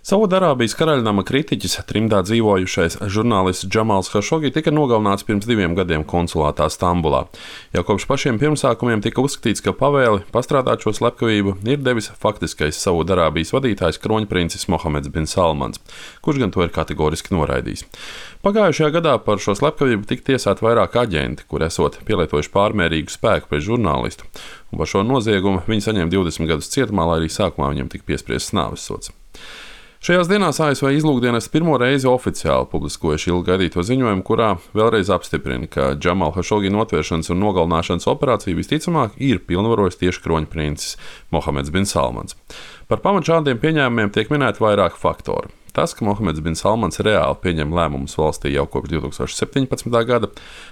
Saudarābijas karaļnama kritiķis, trimdā dzīvojušais žurnālists Džamals Hašogi tika nogalināts pirms 2 gadiem konsulātā Stambulā. Jau kopš pašiem pirmsākumiem tika uzskatīts, ka pavēli pastrādāt šo slepkavību ir devis faktiskais Saudarābijas vadītājs kroņprincis Mohameds bin Salmans, kurš gan to ir kategoriski noraidījis. Pagājušajā gadā par šo slepkavību tika tiesāti vairāk aģenti, kur esot pielietojuši pārmērīgu spēku pret žurnālistu, un par šo noziegumu viņi saņēma 20 gadus cietumā, lai arī sākumā viņam tika piespriests nāvessods. Šajās dienās ASV izlūkdienests pirmo reizi oficiāli publiskojuši ilgi gaidīto ziņojumu, kurā vēlreiz apstiprina, ka Džamala Hašogi notvēršanas un nogalināšanas operāciju visticamāk ir pilnvarojis tieši kroņprincis Mohameds bin Salmans. Par pamatu šādiem pieņēmumiem tiek minēti vairāki faktori. Tas, ka Mohameds bin Salmans reāli pieņem lēmumus valstī jau kopš 2017. gada,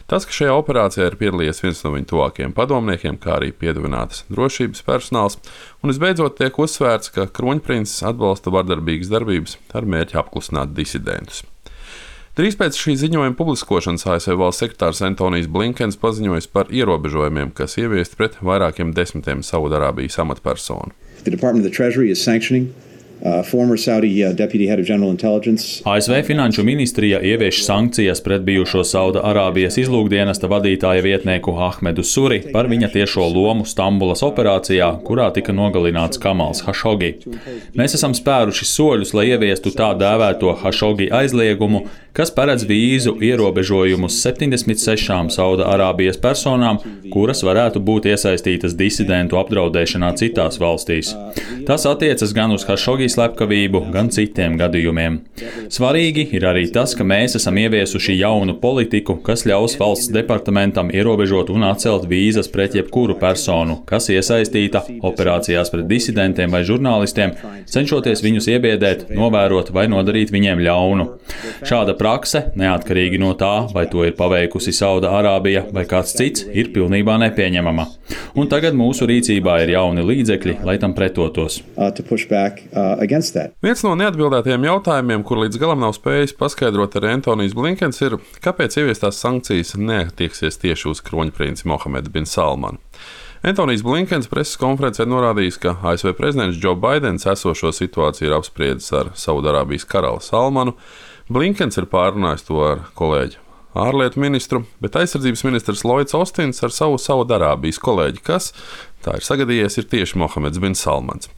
tas, ka šajā operācijā ir piedalījies viens no viņa tuvākajiem padomniekiem, kā arī piedāvinātas drošības personāls, un visbeidzot tiek uzsvērts, ka kroņprincis atbalsta vardarbīgas darbības ar mērķi apklusināt disidentus. Drīz pēc šī ziņojuma publiskošanas ASV valsts sekretārs Antonijs Blinkens paziņojis par ierobežojumiem, kas ieviesti pret vairākiem desmitiem Saudarābijas amatpersonu. ASV Finanšu ministrija ievieš sankcijas pret bijušo Saudarābijas izlūkdienesta vadītāja vietnieku Ahmedu Suri par viņa tiešo lomu Stambulas operācijā, kurā tika nogalināts Kamals Hašogi. Mēs esam spēruši soļus, lai ieviestu tā dēvēto Hašogi aizliegumu, kas paredz vīzu ierobežojumus 76 Saudarābijas personām, kuras varētu būt iesaistītas disidentu apdraudēšanā citās valstīs. Tas attiecas gan uz Hašogi slepkavību, gan citiem gadījumiem. Svarīgi ir arī tas, ka mēs esam ieviesuši jaunu politiku, kas ļaus valsts departamentam ierobežot un atcelt vīzas pret jebkuru personu, kas iesaistīta operācijās pret disidentiem vai žurnālistiem, cenšoties viņus iebiedēt, novērot vai nodarīt viņiem ļaunu. Šāda prakse, neatkarīgi no tā, vai to ir paveikusi Saudarābija vai kāds cits, ir pilnībā nepieņemama. Un tagad mūsu rīcībā ir jauni līdzekļi, lai tam pretotos. Viens no neatbildētajiem jautājumiem, kur līdz galam nav spējis paskaidrot arī Antonijs Blinkens, ir, kāpēc ieviestās sankcijas neatieksies tieši uz kroņprinci Mohamedu bin Salmanu. Antonijs Blinkens preses konferencē norādījis, ka ASV prezidents Džo Baidens esošo situāciju ir apspriedis ar Saudarābijas karali Salmanu. Blinkens ir pārrunājis to ar kolēģi ārlietu ministru, bet aizsardzības ministrs Lloyds Ostins ar savu Saudarābijas kolēģi, kas, tā ir sagadījies, ir tieši Mohameds bin Salmans.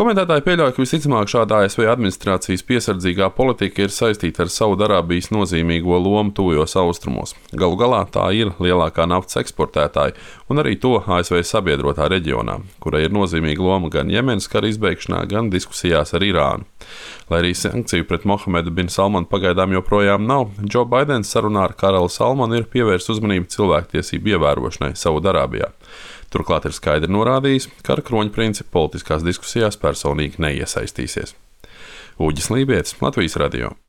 Komentētāji pieļauj, ka visticamāk šāda ASV administrācijas piesardzīgā politika ir saistīta ar Saudarābijas nozīmīgo lomu tuvajos austrumos. Galu galā tā ir lielākā naftas eksportētāja un arī to ASV sabiedrotā reģionā, kurai ir nozīmīga loma gan Jemenas kara izbeigšanā, gan diskusijās ar Irānu. Lai arī sankciju pret Mohamedu bin Salmanu pagaidām joprojām nav, Džo Baidens sarunā ar karali Salmanu ir pievērsis uzmanību cilvēktiesību ievērošanai Saudarābijā. Turklāt ir skaidri norādījis, ka ar kroņprinci politiskās diskusijās personīgi neiesaistīsies. Uģis Lībietis, Latvijas radio.